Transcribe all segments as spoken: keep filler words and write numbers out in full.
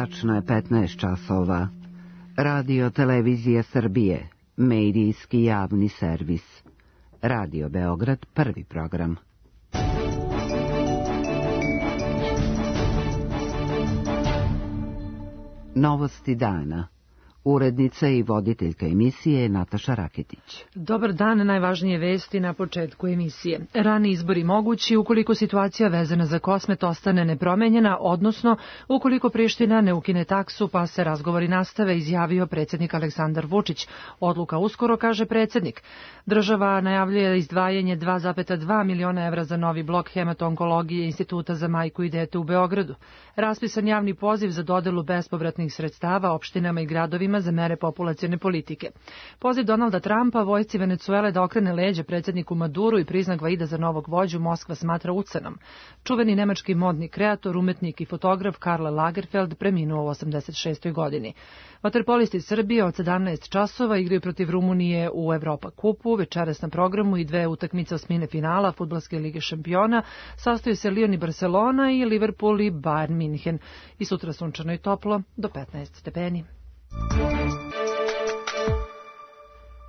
Tačno je petnaest časova. Radio Televizija Srbije, medijski javni servis. Radio Beograd, prvi program. Novosti dana. Urednica i voditeljka emisije Nataša Raketić. Dobar dan, najvažnije vesti na početku emisije. Rani izbori mogući ukoliko situacija vezana za Kosmet ostane nepromenjena, odnosno ukoliko Priština ne ukine taksu pa se razgovori nastave, izjavio predsjednik Aleksandar Vučić. Odluka uskoro, kaže predsjednik. Država najavljuje izdvajanje dva zarez dva miliona evra za novi blok hemato-onkologije Instituta za majku i dete u Beogradu. Raspisan javni poziv za dodelu bespovratnih sredstava opštinama i gradovima za mere populacione politike. Poziv Donalda Trumpa vojsci Venecuele da okrene leđe predsjedniku Maduru i priznak Gvaida za novog vođu Moskva smatra ucenom. Čuveni nemački modni kreator, umetnik i fotograf Karl Lagerfeld preminuo u osamdeset šestoj godini. Vaterpolisti Srbije od sedamnaest časova igraju protiv Rumunije u Evropa kupu, večeras na programu i dve utakmice osmine finala Fudbalske lige šampiona, sastoji se Lyon i Barcelona i Liverpool i Bayern Minhen. I sutra sunčano i toplo do petnaest stepeni.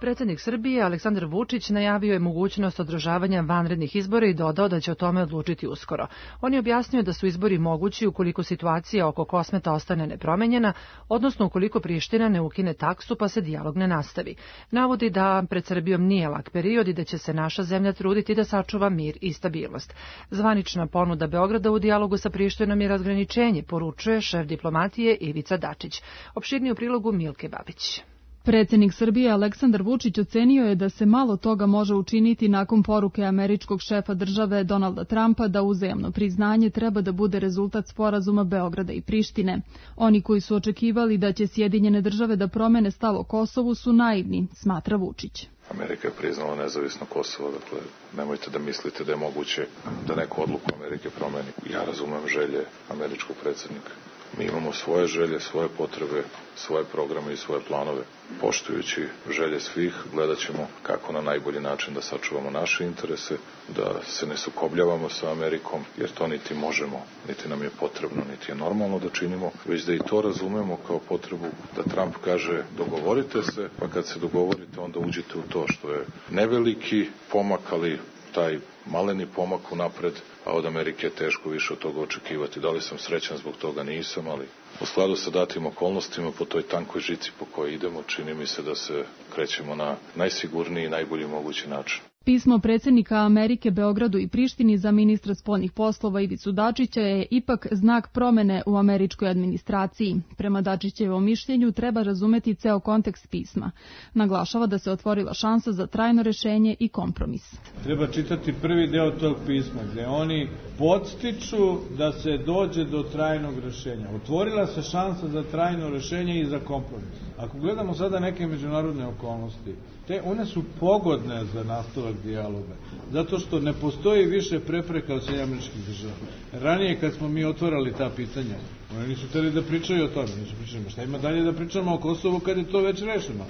Predsjednik Srbije Aleksandar Vučić najavio je mogućnost održavanja vanrednih izbora i dodao da će o tome odlučiti uskoro. On je objasnio da su izbori mogući ukoliko situacija oko Kosmeta ostane nepromenjena, odnosno ukoliko Priština ne ukine taksu pa se dijalog ne nastavi. Navodi da pred Srbijom nije lak period i da će se naša zemlja truditi da sačuva mir i stabilnost. Zvanična ponuda Beograda u dijalogu sa Prištinom je razgraničenje, poručuje šef diplomatije Ivica Dačić. Opširnije u prilogu Milke Babić. Predsjednik Srbije Aleksandar Vučić ocenio je da se malo toga može učiniti nakon poruke američkog šefa države Donalda Trumpa da uzajamno priznanje treba da bude rezultat sporazuma Beograda i Prištine. Oni koji su očekivali da će Sjedinjene države da promene stav o Kosovu su naivni, smatra Vučić. Amerika je priznala nezavisno Kosovo, dakle nemojte da mislite da je moguće da neku odluku Amerike promeni. Ja razumem želje američkog predsjednika. Mi imamo svoje želje, svoje potrebe, svoje programe i svoje planove. Poštujući želje svih, gledat ćemo kako na najbolji način da sačuvamo naše interese, da se ne sukobljavamo sa Amerikom, jer to niti možemo, niti nam je potrebno, niti je normalno da činimo, već da i to razumemo kao potrebu da Trump kaže dogovorite se, pa kad se dogovorite onda uđite u to, što je neveliki pomak, ali taj maleni pomak unapred, a od Amerike je teško više od toga očekivati. Da li sam srećan zbog toga? Nisam, ali u skladu sa datim okolnostima po toj tankoj žici po kojoj idemo, čini mi se da se krećemo na najsigurniji i najbolji mogući način. Pismo predsjednika Amerike Beogradu i Prištini za ministra spoljnih poslova Ivicu Dačića je ipak znak promene u američkoj administraciji. Prema Dačićevom mišljenju treba razumeti ceo kontekst pisma. Naglašava da se otvorila šansa za trajno rešenje i kompromis. Treba čitati prvi deo tog pisma gdje oni podstiču da se dođe do trajnog rešenja. Otvorila se šansa za trajno rešenje i za kompromis. Ako gledamo sada neke međunarodne okolnosti, te one su pogodne za nastavak dijaloga, zato što ne postoji više prepreka od Sjedinjenih Američkih Država. Ranije kad smo mi otvarali ta pitanja, oni nisu hteli da pričaju o tome, nisu pričali, šta ima dalje da pričamo o Kosovu kad je to već rešeno.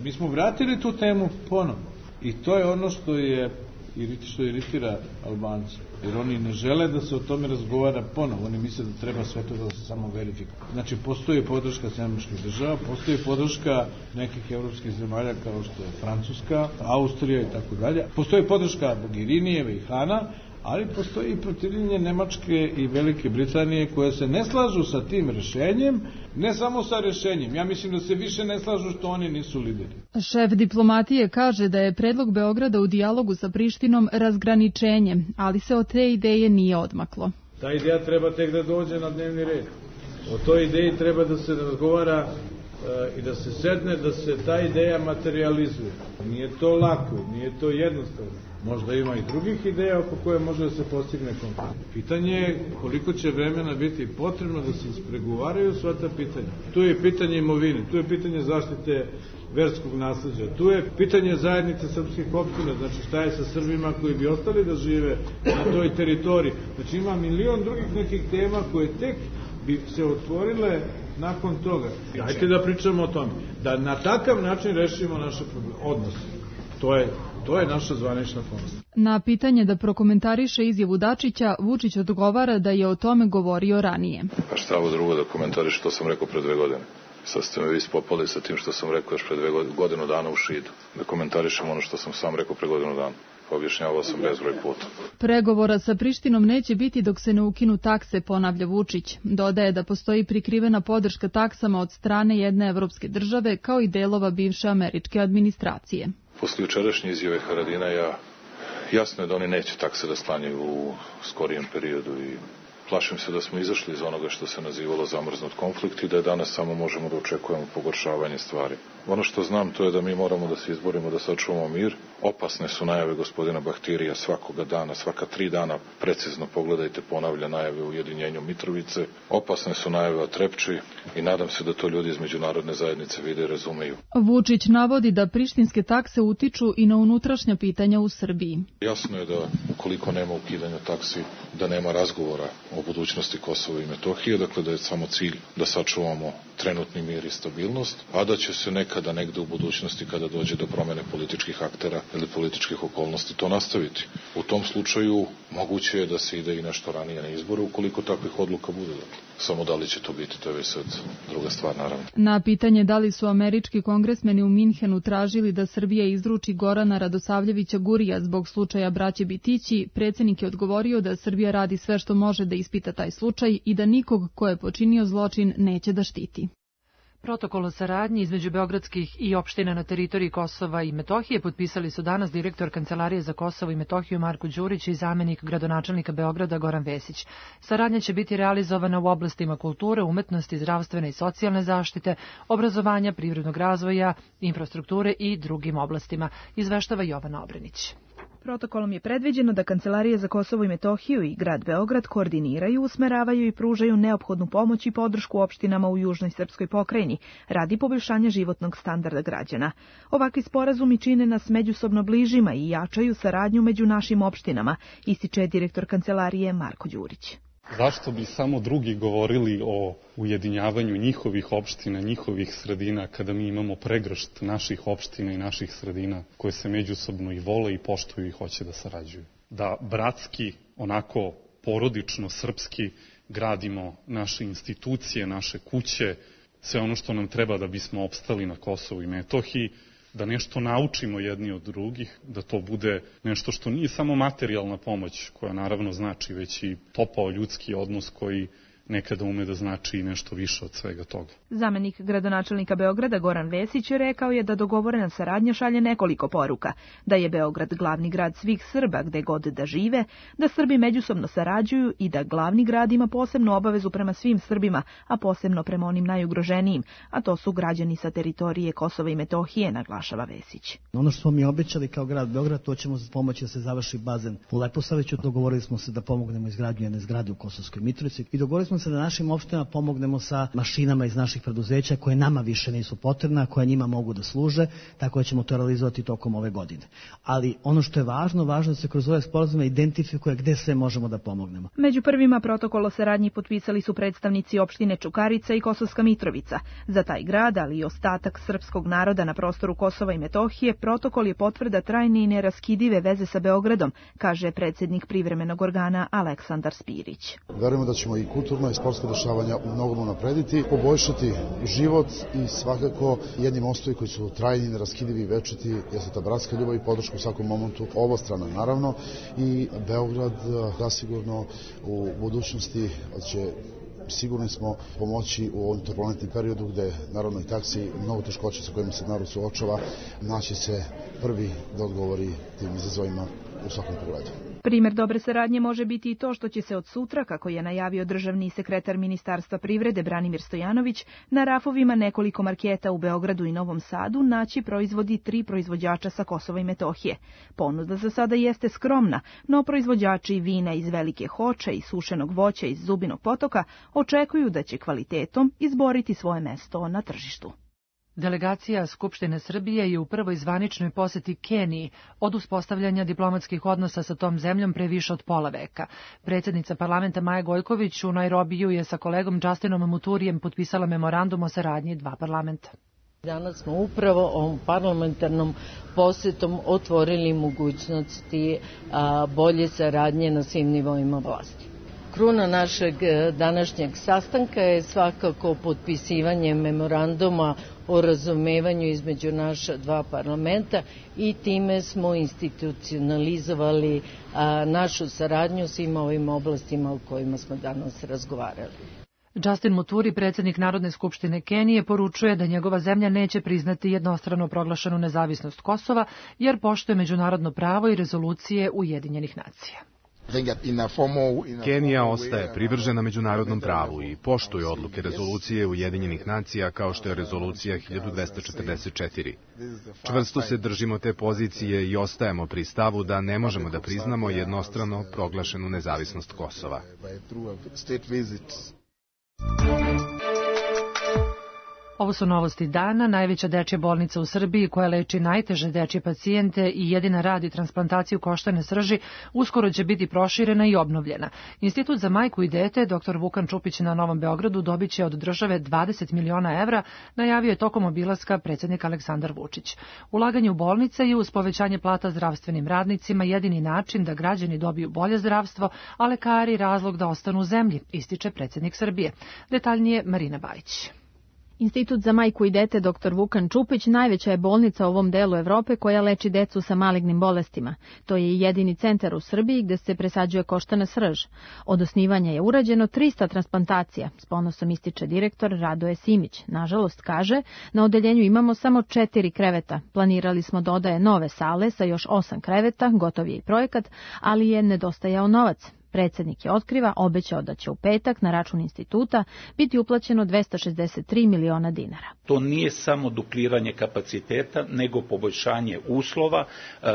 Mi smo vratili tu temu ponovno i to je ono što je što iritira Albance, jer oni ne žele da se o tome razgovara ponovo, oni misle da treba sve to da se samo verifikuje. Znači, postoji podrška Sjedinjenih Američkih Država, postoji podrška nekih evropskih zemalja kao što je Francuska, Austrija i tako dalje, postoji podrška Bogirinijeve i Hana, ali postoji i protivljenje Nemačke i Velike Britanije koje se ne slažu sa tim rešenjem, ne samo sa rešenjem. Ja mislim da se više ne slažu što oni nisu lideri. Šef diplomatije kaže da je predlog Beograda u dijalogu sa Prištinom razgraničenje, ali se od te ideje nije odmaklo. Ta ideja treba tek da dođe na dnevni red. O toj ideji treba da se razgovara e, i da se sedne, da se ta ideja materializuje. Nije to lako, nije to jednostavno. Možda ima i drugih ideja oko koje može da se postigne kompromis. Pitanje je koliko će vremena biti potrebno da se ispregovaraju sva ta pitanja. Tu je pitanje imovine, tu je pitanje zaštite verskog nasleđa, tu je pitanje zajednice srpskih opština, znači šta je sa Srbima koji bi ostali da žive na toj teritoriji. Znači ima milion drugih nekih tema koje tek bi se otvorile nakon toga. Hajde da pričamo o tome. Da na takav način rešimo naše odnose. To je, to je naša zvanična formula. Na pitanje da prokomentariše izjavu Dačića, Vučić odgovara da je o tome govorio ranije. Pa šta ovo drugo da komentariš što sam rekao pre dve godine? Sad ste me vi ispopali sa tim što sam rekao još pre dve godinu dana u Šidu. Da komentarišem ono što sam sam rekao pre godinu dana. Objašnjavao sam bezbroj puta. Pregovora sa Prištinom neće biti dok se ne ukinu takse, ponavlja Vučić. Dodaje da postoji prikrivena podrška taksama od strane jedne evropske države kao i delova bivše američke administracije. Posle jučerašnje izjave Haradinaja jasno je da oni neće takse da sklanjaju u skorijem periodu i plašim se da smo izašli iz onoga što se nazivalo zamrznut konflikt i da je danas samo možemo da očekujemo pogoršavanje stvari. Ono što znam to je da mi moramo da se izborimo da sačuvamo mir. Opasne su najave gospodina Bahtirija svakoga dana, svaka tri dana, precizno pogledajte, ponavlja najave o ujedinjenju Mitrovice. Opasne su najave o Trepči i nadam se da to ljudi iz međunarodne zajednice vide i razumeju. Vučić navodi da prištinske takse utiču i na unutrašnja pitanja u Srbiji. Jasno je da ukoliko nema ukidanja taksi, da nema razgovora o budućnosti Kosova i Metohije, dakle da je samo cilj da sačuvamo trenutni mir i stabilnost, a da će se nekada negde u budućnosti kada dođe do promene političkih aktera ili političkih okolnosti to nastaviti. U tom slučaju moguće je da se ide i nešto ranije na izbore ukoliko takvih odluka bude. Dakle. Samo da li će to biti, to je već sad druga stvar naravno. Na pitanje da li su američki kongresmeni u Minhenu tražili da Srbija izruči Gorana Radosavljevića Gurija zbog slučaja braće Bitići, predsjednik je odgovorio da Srbija radi sve što može da ispita taj slučaj i da nikog ko je počinio zločin neće da štiti. Protokol o saradnji između beogradskih i opština na teritoriji Kosova i Metohije potpisali su danas direktor Kancelarije za Kosovo i Metohiju Marko Đurić i zamenik gradonačelnika Beograda Goran Vesić. Saradnja će biti realizovana u oblastima kulture, umetnosti, zdravstvene i socijalne zaštite, obrazovanja, privrednog razvoja, infrastrukture i drugim oblastima, izveštava Jovana Obrenić. Protokolom je predviđeno da Kancelarije za Kosovo i Metohiju i grad Beograd koordiniraju, usmeravaju i pružaju neophodnu pomoć i podršku opštinama u južnoj srpskoj pokrajini radi poboljšanja životnog standarda građana. Ovakvi sporazumi čine nas međusobno bližima i jačaju saradnju među našim opštinama, ističe direktor Kancelarije Marko Đurić. Zašto bi samo drugi govorili o ujedinjavanju njihovih opština, njihovih sredina, kada mi imamo pregršt naših opština i naših sredina koje se međusobno i vole i poštuju i hoće da sarađuju. Da bratski, onako porodično, srpski gradimo naše institucije, naše kuće, sve ono što nam treba da bismo opstali na Kosovu i Metohiji, da nešto naučimo jedni od drugih, da to bude nešto što nije samo materijalna pomoć, koja naravno znači, već i topao ljudski odnos koji nekada ume da znači i nešto više od svega toga. Zamenik gradonačelnika Beograda Goran Vesić rekao je da dogovorena saradnja šalje nekoliko poruka, da je Beograd glavni grad svih Srba gde god da žive, da Srbi međusobno sarađuju i da glavni grad ima posebnu obavezu prema svim Srbima, a posebno prema onim najugroženijim, a to su građani sa teritorije Kosova i Metohije, naglašava Vesić. Ono što smo mi obećali kao grad Beograd, to ćemo pomoći da se završi bazen u Leposaviću. Dogovorili smo se da pomognemo izgradnju jedne zgrade u Kosovskoj Mitrovici i dogovorili smo se da našim opštinama pomognemo sa mašinama iz naših preduzeća koje nama više nisu potrebna, koje njima mogu da služe, tako da ćemo to realizovati tokom ove godine. Ali ono što je važno, važno da se kroz ove sporazume identifikuje gde sve možemo da pomognemo. Među prvima protokol o saradnji potpisali su predstavnici opštine Čukarica i Kosovska Mitrovica. Za taj grad, ali i ostatak srpskog naroda na prostoru Kosova i Metohije, protokol je potvrda trajne i neraskidive veze sa Beogradom, kaže predsjednik privremenog organa Aleksandar Spirić. Verujemo da ćemo i kulturno i sportsko dešavanja u mnogom unaprediti, poboljšati život i svakako jedni mostovi koji su trajni, neraskidivi i večiti jesu ta bratska ljubav i podrška u svakom momentu obostrana naravno i Beograd zasigurno u budućnosti će sigurni smo pomoći u ovom turbulentnom periodu gde naravno i taksi mnogo teškoća sa kojima se narod suočava, naći se prvi da odgovori tim izazovima u svakom pogledu. Primer dobre saradnje može biti i to što će se od sutra, kako je najavio državni sekretar Ministarstva privrede Branimir Stojanović, na rafovima nekoliko marketa u Beogradu i Novom Sadu naći proizvodi tri proizvođača sa Kosova i Metohije. Ponuda za sada jeste skromna, no proizvođači vina iz Velike Hoče i sušenog voća iz Zubinog potoka očekuju da će kvalitetom izboriti svoje mesto na tržištu. Delegacija Skupštine Srbije je u prvoj zvaničnoj poseti Keniji od uspostavljanja diplomatskih odnosa sa tom zemljom pre više od pola veka. Predsjednica parlamenta Maja Gojković u Nairobiju je sa kolegom Justinom Muturijem potpisala memorandum o saradnji dva parlamenta. Danas smo upravo ovom parlamentarnom posetom otvorili mogućnosti a, bolje saradnje na svim nivoima vlasti. Kruna našeg današnjeg sastanka je svakako potpisivanje memoranduma o razumevanju između naša dva parlamenta i time smo institucionalizovali a, našu saradnju svim ovim oblastima o kojima smo danas razgovarali. Justin Muturi, predsjednik Narodne skupštine Kenije, poručuje da njegova zemlja neće priznati jednostrano proglašenu nezavisnost Kosova jer poštuje međunarodno pravo i rezolucije Ujedinjenih nacija. Kenija ostaje privržena međunarodnom pravu i poštuje odluke rezolucije Ujedinjenih nacija kao što je rezolucija hiljadu dvesta četrdeset četiri. Čvrsto se držimo te pozicije i ostajemo pri stavu da ne možemo da priznamo jednostrano proglašenu nezavisnost Kosova. Ovo su novosti dana. Najveća dečja bolnica u Srbiji koja leči najteže dečje pacijente i jedina radi transplantaciju koštane srži uskoro će biti proširena i obnovljena. Institut za majku i dete doktor Vukan Čupić na Novom Beogradu dobit će od države dvadeset miliona evra, najavio je tokom obilaska predsjednik Aleksandar Vučić. Ulaganje u bolnice i uz povećanje plata zdravstvenim radnicima jedini način da građani dobiju bolje zdravstvo, a lekari razlog da ostanu u zemlji, ističe predsjednik Srbije. Detaljnije Marina Bajić. Institut za majku i dete doktor Vukan Čupić najveća je bolnica u ovom delu Evrope koja leči decu sa malignim bolestima. To je jedini centar u Srbiji gde se presađuje koštana srž. Od osnivanja je urađeno trista transplantacija, s ponosom ističe direktor Radoje Simić. Nažalost, kaže, na odeljenju imamo samo četiri kreveta. Planirali smo dodaje nove sale sa još osam kreveta, gotov je i projekat, ali je nedostajao novac. Predsjednik je otkriva, obećao da će u petak na račun instituta biti uplaćeno dvesta šezdeset tri miliona dinara. To nije samo dupliranje kapaciteta, nego poboljšanje uslova.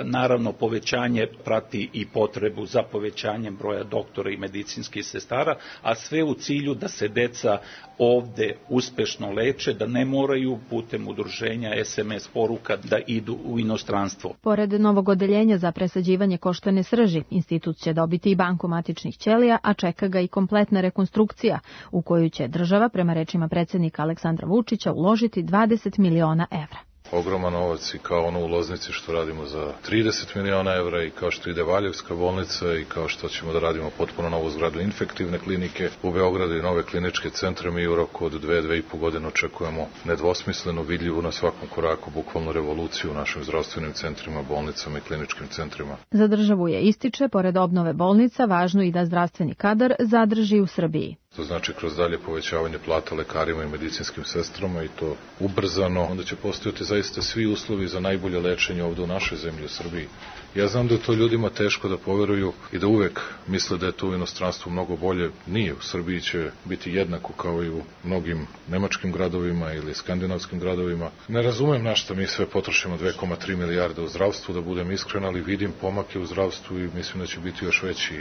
Naravno, povećanje prati i potrebu za povećanjem broja doktora i medicinskih sestara, a sve u cilju da se deca ovde uspešno leče, da ne moraju putem udruženja es em es poruka da idu u inostranstvo. Pored novog odeljenja za presađivanje koštane srži, institut će dobiti i banku matičnih ćelija, a čeka ga i kompletna rekonstrukcija, u koju će država, prema rečima predsjednika Aleksandra Vučića, uložiti dvadeset miliona evra. Ogroman novac i kao ono u Loznici što radimo za trideset miliona evra i kao što ide Valjevska bolnica i kao što ćemo da radimo potpuno novu zgradu infektivne klinike u Beogradu i nove kliničke centre. Mi u roku od dve, dve i po godine očekujemo nedvosmisleno vidljivu na svakom koraku bukvalno revoluciju u našim zdravstvenim centrima, bolnicama i kliničkim centrima. Za državu je ističe, pored obnove bolnica, važno i da zdravstveni kadar zadrži u Srbiji. To znači kroz dalje povećavanje plata lekarima i medicinskim sestrama i to ubrzano, onda će postojati zaista svi uslovi za najbolje lečenje ovde u našoj zemlji, u Srbiji. Ja znam da je to ljudima teško da poveruju i da uvek misle da je to u inostranstvu mnogo bolje. Nije, u Srbiji će biti jednako kao i u mnogim nemačkim gradovima ili skandinavskim gradovima. Ne razumem na šta mi sve potrošimo dve zarez tri milijarde u zdravstvu, da budem iskren, ali vidim pomake u zdravstvu i mislim da će biti još veći.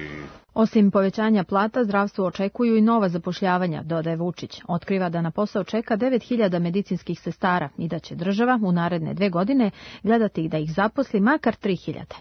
Osim povećanja plata, zdravstvo očekuju i nova zapošljavanja, dodaje Vučić. Otkriva da na posao čeka devet hiljada medicinskih sestara i da će država u naredne dve godine gledati da ih zaposli makar tri hiljade.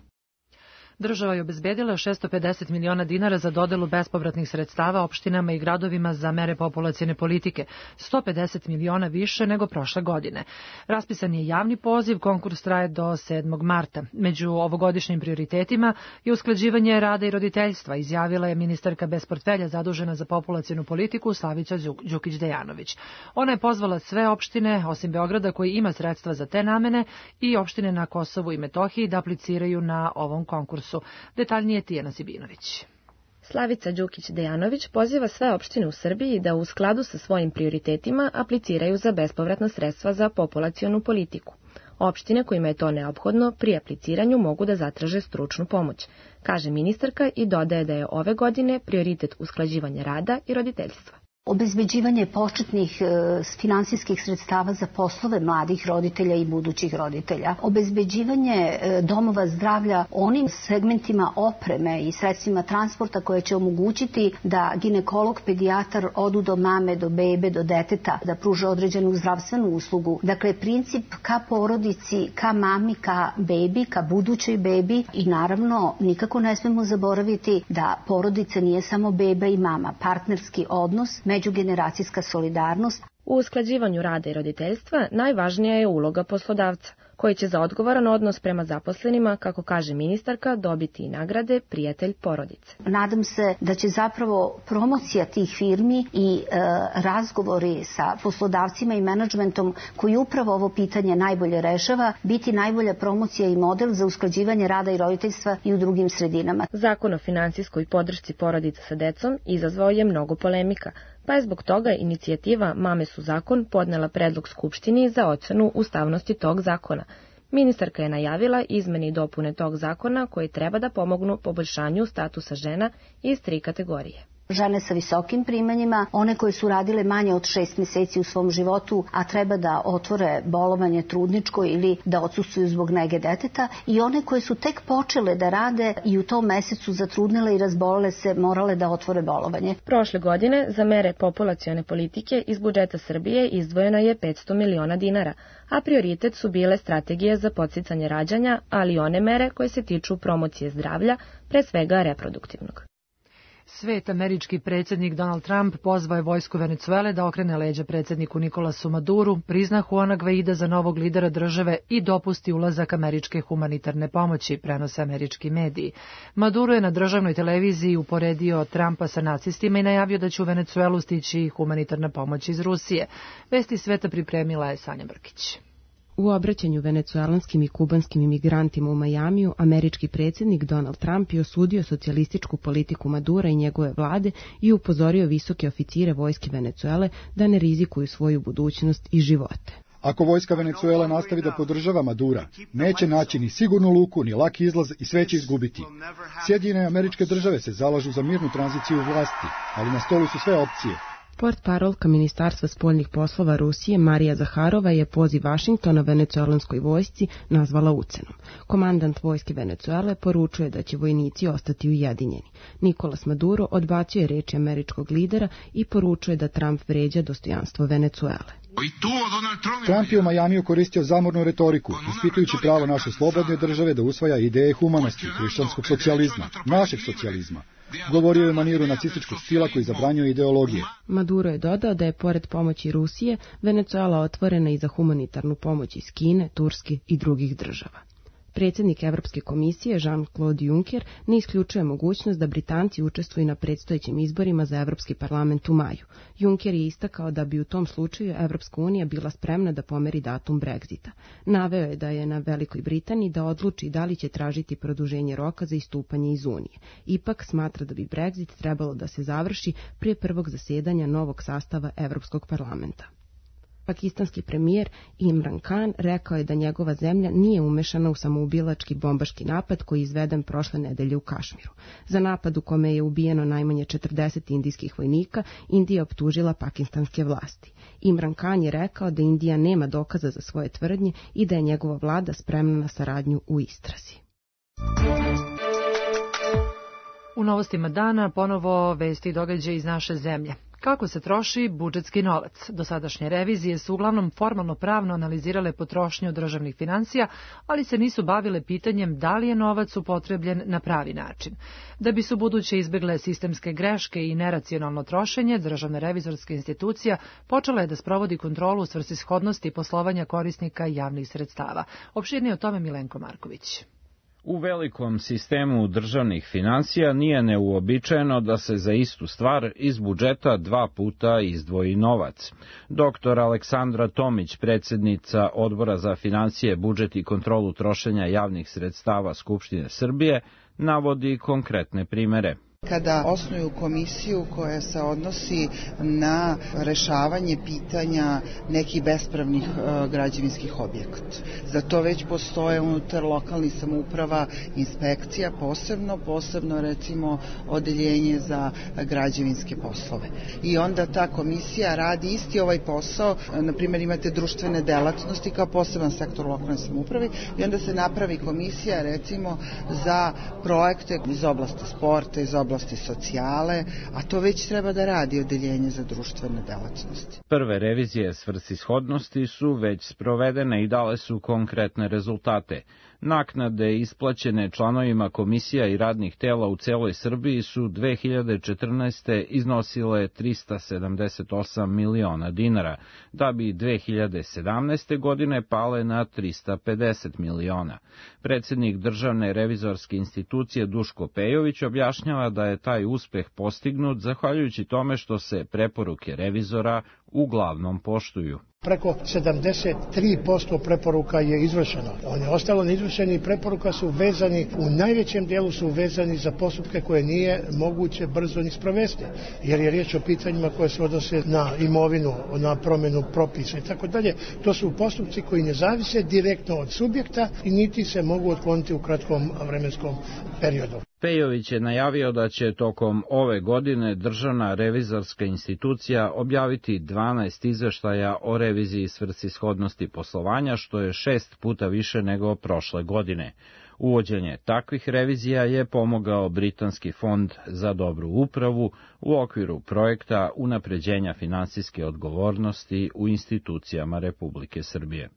Država je obezbedila šesto pedeset miliona dinara za dodelu bespovratnih sredstava opštinama i gradovima za mere populacione politike, sto pedeset miliona više nego prošle godine. Raspisan je javni poziv, konkurs traje do sedmog marta. Među ovogodišnjim prioritetima je usklađivanje rada i roditeljstva, izjavila je ministarka bez portfelja zadužena za populacionu politiku Slavica Đukić-Dejanović. Ona je pozvala sve opštine, osim Beograda, koji ima sredstva za te namene, i opštine na Kosovu i Metohiji da apliciraju na ovom konkursu. Detaljnije Tijana Sibinović. Slavica Đukić-Dejanović poziva sve opštine u Srbiji da u skladu sa svojim prioritetima apliciraju za bespovratna sredstva za populacionu politiku. Opštine kojima je to neophodno pri apliciranju mogu da zatraže stručnu pomoć, kaže ministarka i dodaje da je ove godine prioritet usklađivanja rada i roditeljstva. Obezbeđivanje početnih e, finansijskih sredstava za poslove mladih roditelja i budućih roditelja. Obezbeđivanje e, domova zdravlja onim segmentima opreme i sredstvima transporta koje će omogućiti da ginekolog, pedijatar odu do mame, do bebe, do deteta, da pruže određenu zdravstvenu uslugu. Dakle, princip ka porodici, ka mami, ka bebi, ka budućoj bebi i naravno nikako ne smemo zaboraviti da porodica nije samo beba i mama, partnerski odnos, međugeneracijska solidarnost. U usklađivanju rada i roditeljstva najvažnija je uloga poslodavca, koji će za odgovoran odnos prema zaposlenima, kako kaže ministarka, dobiti i nagrade prijatelj porodice. Nadam se da će zapravo promocija tih firmi i e, razgovori sa poslodavcima i menadžmentom koji upravo ovo pitanje najbolje rešava, biti najbolja promocija i model za usklađivanje rada i roditeljstva i u drugim sredinama. Zakon o finansijskoj podršci porodica sa decom izazvao je mnogo polemika, pa je zbog toga inicijativa Mame su zakon podnela predlog Skupštini za ocenu ustavnosti tog zakona. Ministarka je najavila izmene i dopune tog zakona koji treba da pomognu poboljšanju statusa žena iz tri kategorije. Žene sa visokim primanjima, one koje su radile manje od šest meseci u svom životu, a treba da otvore bolovanje trudničko ili da odsustvuju zbog nege deteta, i one koje su tek počele da rade i u tom mesecu zatrudnile i razbolele se, morale da otvore bolovanje. Prošle godine za mere populacione politike iz budžeta Srbije izdvojeno je petsto miliona dinara, a prioritet su bile strategije za podsticanje rađanja, ali i one mere koje se tiču promocije zdravlja, pre svega reproduktivnog. Svet američki predsjednik Donald Trump pozvao je vojsku Venecuele da okrene leđa predsjedniku Nikolasu Maduru, prizna Juana Guaida za novog lidera države i dopusti ulazak američke humanitarne pomoći, prenose američki mediji. Maduro je na državnoj televiziji uporedio Trumpa sa nacistima i najavio da će u Venecuelu stići humanitarna pomoć iz Rusije. Vesti sveta pripremila je Sanja Brkić. U obraćanju venecuelanskim i kubanskim imigrantima u Majamiju, američki predsjednik Donald Trump je osudio socijalističku politiku Madura i njegove vlade i upozorio visoke oficire vojske Venecuele da ne rizikuju svoju budućnost i živote. Ako vojska Venecuele nastavi da podržava Madura, neće naći ni sigurnu luku, ni laki izlaz i sve će izgubiti. Sjedinjene Američke Države se zalažu za mirnu tranziciju vlasti, ali na stolu su sve opcije. Portparolka Ministarstva spoljnih poslova Rusije Marija Zaharova je poziv Vašingtona venecuelanskoj vojsci nazvala ucenom. Komandant vojske Venecuele poručuje da će vojnici ostati ujedinjeni. Nicolas Maduro odbacio je reči američkog lidera i poručuje da Trump vređa dostojanstvo Venecuele. Trump je u Majamiju koristio zamornu retoriku, ispitujući pravo naše slobodne države da usvaja ideje humanosti, hrišćanskog socijalizma, našeg socijalizma. Govorio je u maniru nacističkog stila koji zabranjuje ideologije. Maduro je dodao da je pored pomoći Rusije, Venecuela otvorena i za humanitarnu pomoć iz Kine, Turske i drugih država. Predsjednik Evropske komisije Jean-Claude Juncker ne isključuje mogućnost da Britanci učestvuju na predstojećim izborima za Evropski parlament u maju. Juncker je istakao da bi u tom slučaju Evropska unija bila spremna da pomeri datum Brexita. Naveo je da je na Velikoj Britaniji da odluči da li će tražiti produženje roka za istupanje iz Unije. Ipak smatra da bi Brexit trebalo da se završi prije prvog zasedanja novog sastava Evropskog parlamenta. Pakistanski premijer Imran Khan rekao je da njegova zemlja nije umešana u samoubilački bombaški napad koji je izveden prošle nedelje u Kašmiru. Za napad u kome je ubijeno najmanje četrdeset indijskih vojnika, Indija optužila pakistanske vlasti. Imran Khan je rekao da Indija nema dokaza za svoje tvrdnje i da je njegova vlada spremna na saradnju u istrazi. U novostima dana ponovo vesti i događaje iz naše zemlje. Kako se troši budžetski novac? Dosadašnje revizije su uglavnom formalno pravno analizirale potrošnju državnih financija, ali se nisu bavile pitanjem da li je novac upotrebljen na pravi način. Da bi su buduće izbegle sistemske greške i neracionalno trošenje, Državna revizorska institucija počela je da sprovodi kontrolu svrsishodnosti poslovanja korisnika javnih sredstava. Opširnije o tome Milenko Marković. U velikom sistemu državnih financija nije neuobičajeno da se za istu stvar iz budžeta dva puta izdvoji novac. Doktor Aleksandra Tomić, predsjednica Odbora za financije, budžet i kontrolu trošenja javnih sredstava Skupštine Srbije, navodi konkretne primere. Kada osnuju komisiju koja se odnosi na rešavanje pitanja nekih bespravnih e, građevinskih objekata. Za to već postoje unutar lokalnih samouprava inspekcija, posebno, posebno recimo odeljenje za građevinske poslove. I onda ta komisija radi isti ovaj posao, na primjer imate društvene delatnosti kao poseban sektor lokalne samouprave i onda se napravi komisija recimo za projekte iz oblasti sporta, iz oblasti socijale, a to već treba da radi odeljenje za društvene delatnosti. Prve revizije svrsishodnosti su već sprovedene i dale su konkretne rezultate. Naknade isplaćene članovima komisija i radnih tela u celoj Srbiji su dve hiljade četrnaeste. iznosile trista sedamdeset osam miliona dinara, da bi dve hiljade sedamnaeste. godine pale na trista pedeset miliona. Predsednik Državne revizorske institucije Duško Pejović objašnjava da je taj uspeh postignut zahvaljujući tome što se preporuke revizora uglavnom poštuju. Preko sedamdeset tri posto preporuka je izvršeno. One ostalo neizvršeni preporuka su vezani, u najvećem dijelu su vezani za postupke koje nije moguće brzo ni sprovesti, jer je riječ o pitanjima koje se odnose na imovinu, na promjenu propisa i tako dalje. To su postupci koji ne zavise direktno od subjekta i niti se mogu otkloniti u kratkom vremenskom periodu. Pejović je najavio da će tokom ove godine Državna revizorska institucija objaviti dvanaest izveštaja o reviziji svrsishodnosti poslovanja, što je šest puta više nego prošle godine. Uvođenje takvih revizija je pomogao Britanski fond za dobru upravu u okviru projekta unapređenja finansijske odgovornosti u institucijama Republike Srbije.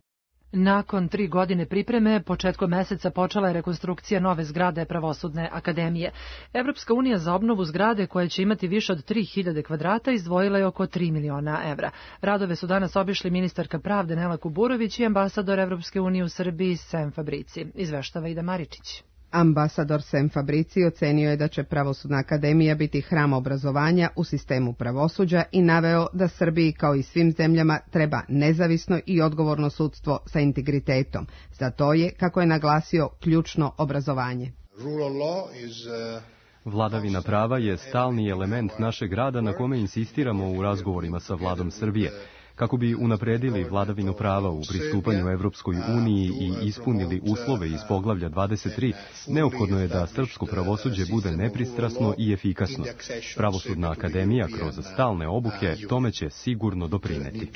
Nakon tri godine pripreme, početkom meseca počela je rekonstrukcija nove zgrade Pravosudne akademije. Evropska unija za obnovu zgrade, koja će imati više od tri hiljade kvadrata, izdvojila je oko tri miliona evra. Radove su danas obišli ministarka pravde Nela Kuburović i ambasador Evropske unije u Srbiji Sem Fabrici. Izveštava Ida Maričić. Ambasador Sem Fabrici ocenio je da će Pravosudna akademija biti hram obrazovanja u sistemu pravosuđa i naveo da Srbiji kao i svim zemljama treba nezavisno i odgovorno sudstvo sa integritetom. Za to je, kako je naglasio, ključno obrazovanje. Vladavina prava je stalni element našeg rada na kome insistiramo u razgovorima sa vladom Srbije. Kako bi unapredili vladavinu prava u pristupanju Evropskoj uniji i ispunili uslove iz poglavlja dvadeset tri, neophodno je da srpsko pravosuđe bude nepristrasno i efikasno. Pravosudna akademija kroz stalne obuke tome će sigurno doprineti.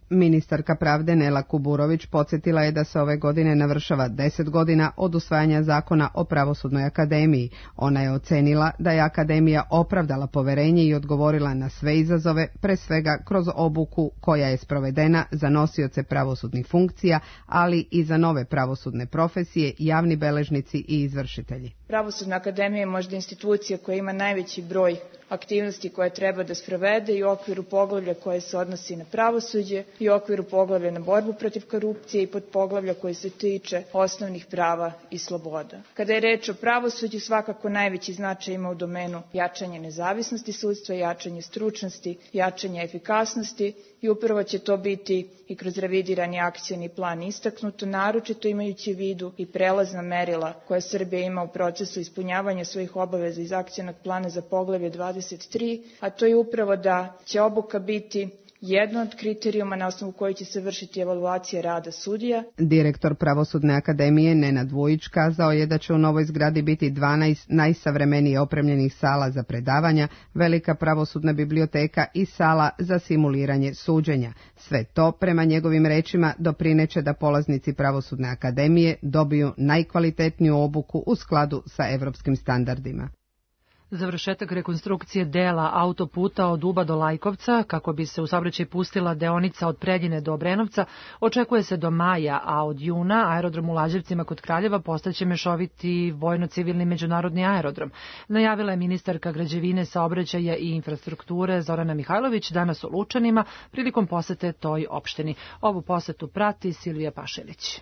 Ministarka pravde Nela Kuburović podsjetila je da se ove godine navršava deset godina od usvajanja zakona o Pravosudnoj akademiji. Ona je ocenila da je akademija opravdala poverenje i odgovorila na sve izazove, pre svega kroz obuku koja je sprovedena za nosioce pravosudnih funkcija, ali i za nove pravosudne profesije, javni beležnici i izvršitelji. Pravosudna akademija je možda institucija koja ima najveći broj aktivnosti koje treba da sprovede i u okviru poglavlja koje se odnosi na pravosuđe i u okviru poglavlja na borbu protiv korupcije i pod poglavlja koje se tiče osnovnih prava i sloboda. Kada je reč o pravosuđu, svakako najveći značaj ima u domenu jačanja nezavisnosti sudstva, jačanje stručnosti, jačanje efikasnosti i upravo će to biti i kroz revidirani akcioni plan istaknuto, naročito imajući u vidu i prelazna merila koja Srbija ima u procesu ispunjavanja svojih obaveza iz akcionog plana za poglavlje dvadeset tri, a to je upravo da će obuka biti jedno od kriterijuma na osnovu koji će se vršiti evaluacija rada sudija. Direktor Pravosudne akademije Nenad Vujić kazao je da će u novoj zgradi biti dvanaest najsavremenije opremljenih sala za predavanja, velika pravosudna biblioteka i sala za simuliranje suđenja. Sve to, prema njegovim rečima, doprineće da polaznici Pravosudne akademije dobiju najkvalitetniju obuku u skladu sa evropskim standardima. Završetak rekonstrukcije dela autoputa od Uba do Lajkovca, kako bi se u saobraćaj pustila deonica od Preljine do Obrenovca, očekuje se do maja, a od juna aerodrom u Lađevcima kod Kraljeva postaće mešoviti vojno-civilni međunarodni aerodrom. Najavila je ministarka građevine, saobraćaja i infrastrukture Zorana Mihajlović danas u Lučanima prilikom posete toj opštini. Ovu posetu prati Silvija Pašelić.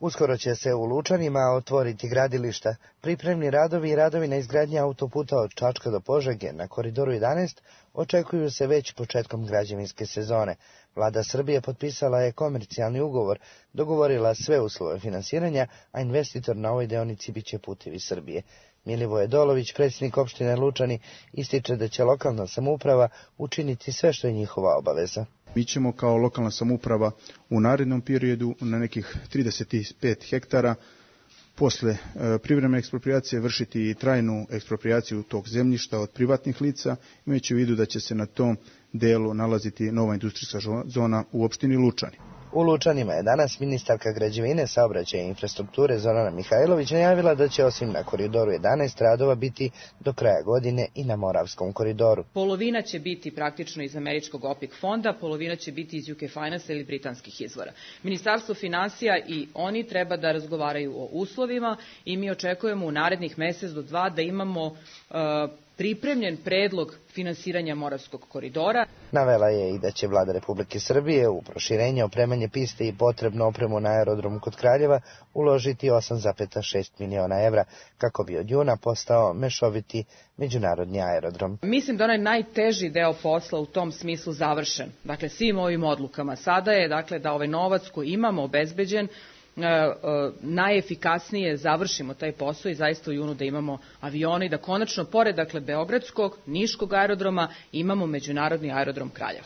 Uskoro će se u Lučanima otvoriti gradilišta. Pripremni radovi i radovi na izgradnji autoputa od Čačka do Požege na koridoru jedanaest očekuju se već početkom građevinske sezone. Vlada Srbije potpisala je komercijalni ugovor, dogovorila sve uslove finansiranja, a investitor na ovoj deonici biće Putevi Srbije. Milivoje Dolović, predsjednik opštine Lučani, ističe da će lokalna samouprava učiniti sve što je njihova obaveza. Mi ćemo kao lokalna samouprava u narednom periodu na nekih trideset pet hektara posle e, privremene eksproprijacije vršiti i trajnu eksproprijaciju tog zemljišta od privatnih lica, imajući u vidu da će se na tom delu nalaziti nova industrijska zona u opštini Lučani. U Lučanima je danas ministarka građevine, saobraćaja i infrastrukture Zorana Mihajlović najavila da će osim na koridoru jedanaest radova biti do kraja godine i na Moravskom koridoru. Polovina će biti praktično iz američkog O P I C fonda, polovina će biti iz U K Finance ili britanskih izvora. Ministarstvo finansija i oni treba da razgovaraju o uslovima i mi očekujemo u narednih mesec do dva da imamo uh, pripremljen predlog finansiranja Moravskog koridora. Navela je i da će vlada Republike Srbije u proširenje, opremanje piste i potrebnu opremu na aerodromu kod Kraljeva uložiti osam zarez šest miliona evra kako bi od juna postao mešoviti međunarodni aerodrom. Mislim da onaj najteži deo posla u tom smislu završen. Dakle, svim ovim odlukama sada je dakle, da ovaj novac koji imamo obezbeđen najefikasnije završimo taj posao i zaista u junu da imamo avione i da konačno, pored dakle, Beogradskog, Niškog aerodroma, imamo međunarodni aerodrom Kraljevo.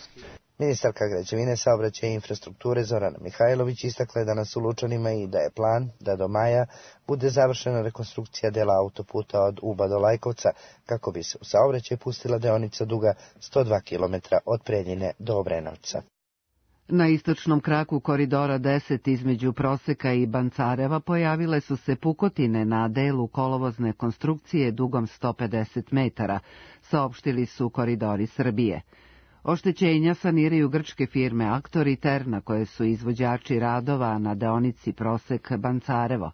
Ministarka građevine, saobraćaja i infrastrukture Zorana Mihajlović istakla je danas u Lučanima i da je plan da do maja bude završena rekonstrukcija dela autoputa od Uba do Lajkovca, kako bi se u saobraćaj pustila deonica duga sto dva kilometra od Preljine do Obrenovca. Na istočnom kraku koridora deset između Proseka i Bancareva pojavile su se pukotine na delu kolovozne konstrukcije dugom sto pedeset metara, saopštili su Koridori Srbije. Oštećenja saniraju grčke firme Aktor i Terna, koje su izvođači radova na deonici Prosek-Bancarevo.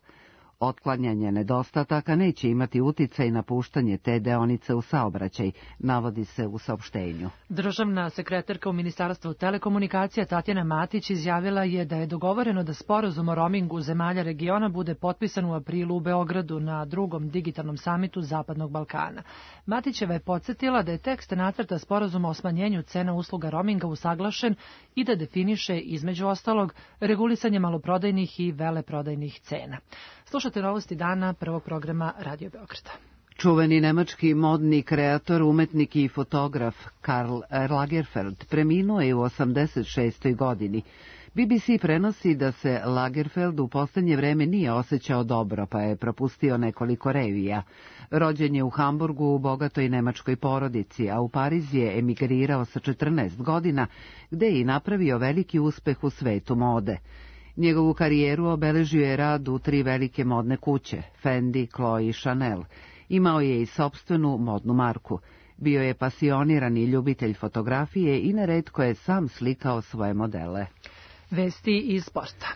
Otklanjanje nedostataka neće imati uticaj na puštanje te deonice u saobraćaj, navodi se u saopštenju. Državna sekretarka u Ministarstvu telekomunikacija Tatjana Matić izjavila je da je dogovoreno da sporazum o roamingu zemalja regiona bude potpisan u aprilu u Beogradu na drugom digitalnom samitu Zapadnog Balkana. Matićeva je podsjetila da je tekst nacrta sporazuma o smanjenju cena usluga roaminga usaglašen i da definiše, između ostalog, regulisanje maloprodajnih i veleprodajnih cena. Slušate novosti dana prvog programa Radio Beograda. Čuveni nemački modni kreator, umetnik i fotograf Karl Lagerfeld preminuo je u osamdeset šestoj godini. B B C prenosi da se Lagerfeld u poslednje vreme nije osjećao dobro, pa je propustio nekoliko revija. Rođen je u Hamburgu u bogatoj nemačkoj porodici, a u Pariz je emigrirao sa četrnaest godina, gde je i napravio veliki uspeh u svetu mode. Njegovu karijeru obeležio je rad u tri velike modne kuće, Fendi, Chloe i Chanel. Imao je i sopstvenu modnu marku. Bio je pasionirani ljubitelj fotografije i neretko je sam slikao svoje modele. Vesti iz sporta.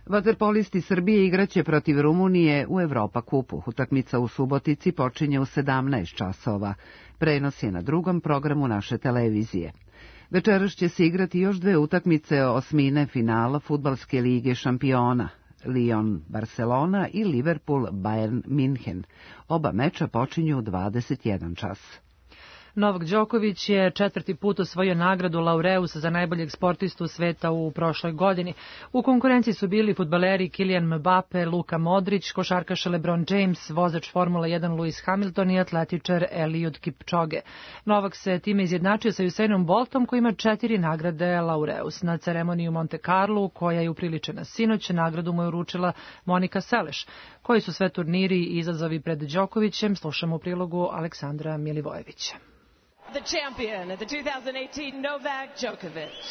Vaterpolisti Srbije igraće protiv Rumunije u Evropa kupu. Utakmica u Subotici počinje u sedamnaest časova. Prenos je na drugom programu naše televizije. Večeras će se igrati još dve utakmice osmine finala Fudbalske lige šampiona, Lyon Barcelona i Liverpool Bayern München. Oba meča počinju u dvadeset jedan čas. Novak Đoković je četvrti put osvojio nagradu Laureus za najboljeg sportistu sveta u prošloj godini. U konkurenciji su bili fudbaleri Kylian Mbappe, Luka Modrić, košarkaš LeBron James, vozač Formule jedan Lewis Hamilton i atletičar Eliud Kipchoge. Novak se time izjednačio sa Usainom Boltom koji ima četiri nagrade Laureus. Na ceremoniji u Monte Carlu, koja je upriličena sinoć, nagradu mu je uručila Monika Seleš. Koji su sve turniri i izazovi pred Đokovićem, slušamo u prilogu Aleksandra Milivojevića. The champion at the two thousand eighteen Novak Djokovic.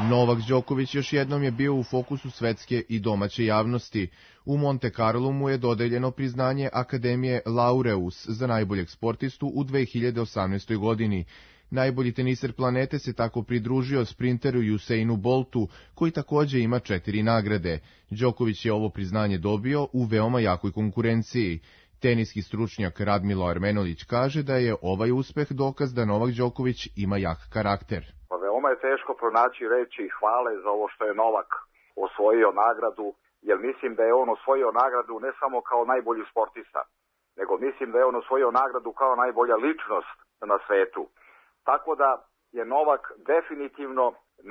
Novak Đoković još jednom je bio u fokusu svetske i domaće javnosti. U Monte Carlo mu je dodeljeno priznanje Akademije Laureus za najboljeg sportistu u dve hiljade osamnaestoj godini. Najbolji teniser planete se tako pridružio sprinteru Usainu Boltu, koji takođe ima četiri nagrade. Đoković je ovo priznanje dobio u veoma jakoj konkurenciji. Teniski stručnjak Radmilo Armenović kaže da je ovaj uspeh dokaz da Novak Đoković ima jak karakter. Pa veoma je teško pronaći reči hvale za ovo što je Novak osvojio nagradu, jer mislim da je on osvojio nagradu ne samo kao najbolji sportista, nego mislim da je on osvojio nagradu kao najbolja ličnost na svetu. Tako da je Novak definitivno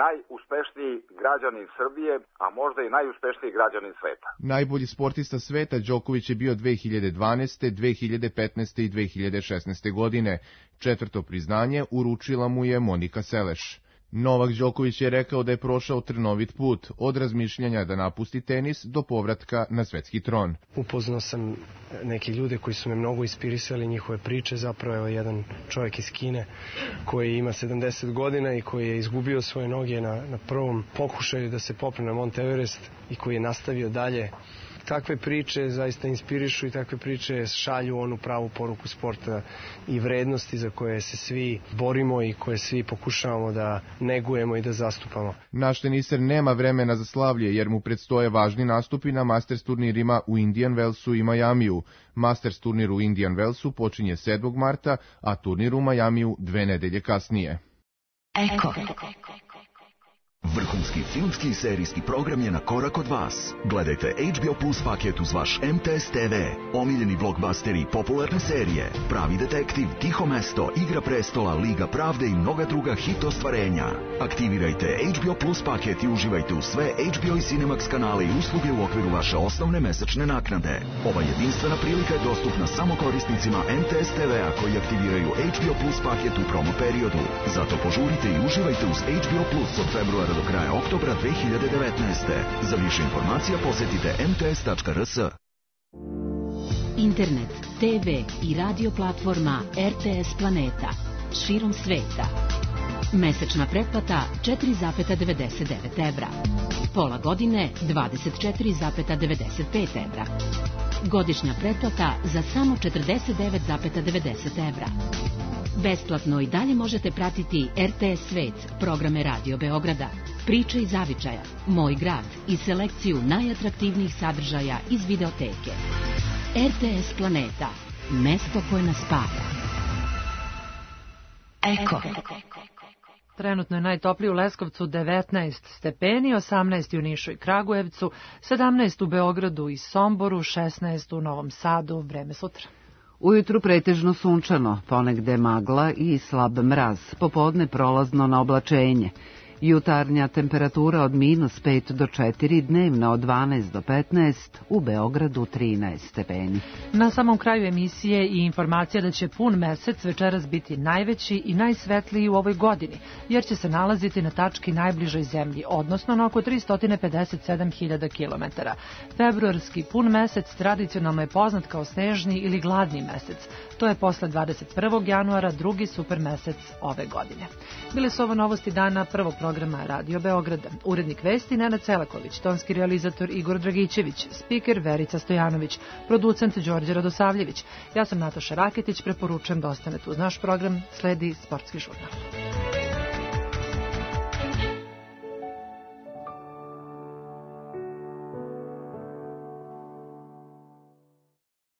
najuspešniji građanin Srbije, a možda i najuspešniji građanin sveta. Najbolji sportista sveta Đoković je bio dve hiljade dvanaeste, dve hiljade petnaeste i dve hiljade šesnaeste godine. Četvrto priznanje uručila mu je Monika Seleš. Novak Đoković je rekao da je prošao trnovit put, od razmišljanja da napusti tenis do povratka na svetski tron. Upoznao sam neke ljude koji su me mnogo inspirisali, njihove priče, zapravo je jedan čovjek iz Kine koji ima sedamdeset godina i koji je izgubio svoje noge na, na prvom pokušaju da se popne na Mount Everest i koji je nastavio dalje. Takve priče zaista inspirišu i takve priče šalju onu pravu poruku sporta i vrednosti za koje se svi borimo i koje svi pokušavamo da negujemo i da zastupamo. Naš teniser nema vremena za slavlje jer mu predstoje važni nastupi na Masters turnirima u Indian Wellsu i Majamiju. Masters turnir u Indian Wellsu počinje sedmog marta, a turnir u Majamiju dve nedelje kasnije. Eko. Vrhunski filmski i serijski program je na korak od vas. Gledajte H B O Plus paket uz vaš M T S T V, omiljeni blockbusteri i popularne serije, Pravi detektiv, Tiho mesto, Igra prestola, Liga pravde i mnoga druga hit ostvarenja. Aktivirajte H B O Plus paket i uživajte u sve H B O i Cinemax kanale i usluge u okviru vaše osnovne mesečne naknade. Ova jedinstvena prilika je dostupna samo korisnicima M T S T V-a koji aktiviraju H B O Plus paket u promo periodu. Zato požurite i uživajte uz H B O Plus od februara do kraja oktobra dve hiljade devetnaeste. Za više informacija posjetite m t s tačka r s. Internet, te ve i radio platforma R T S Planeta. Širom sveta. Mesečna pretplata četiri zarez devedeset devet evra. Pola godine dvadeset četiri zarez devedeset pet evra. Godišnja pretplata za samo četrdeset devet zarez devedeset evra. Besplatno i dalje možete pratiti R T S Svet, programe Radio Beograda, priče iz zavičaja, Moj grad i selekciju najatraktivnijih sadržaja iz videoteke. R T S Planeta, mesto koje nas spaja. Eko. Trenutno je najtoplije u Leskovcu devetnaest stepeni, osamnaest u Nišu i Kragujevcu, sedamnaest u Beogradu i Somboru, šesnaest u Novom Sadu. Vreme sutra. Ujutru pretežno sunčano, ponegde magla i slab mraz, popodne prolazno na oblačenje. Jutarnja temperatura od minus pet do četiri, dnevna od dvanaest do petnaest, u Beogradu trinaest stepeni. Na samom kraju emisije i informacija da će pun mesec večeras biti najveći i najsvetliji u ovoj godini, jer će se nalaziti na tački najbližoj zemlji, odnosno na oko tristo pedeset sedam hiljada kilometara. Februarski pun mesec tradicionalno je poznat kao snežni ili gladni mesec. To je posle dvadeset prvog januara drugi super mesec ove godine. Bile su ovo novosti dana prvog programa Radio Beograda. Urednik vesti Nenad Celaković, tonski realizator Igor Dragićević, spiker Verica Stojanović, producent Đorđe Radosavljević. Ja sam Nataša Raketić, preporučujem da ostanete uz naš program, sledi Sportski žurnal.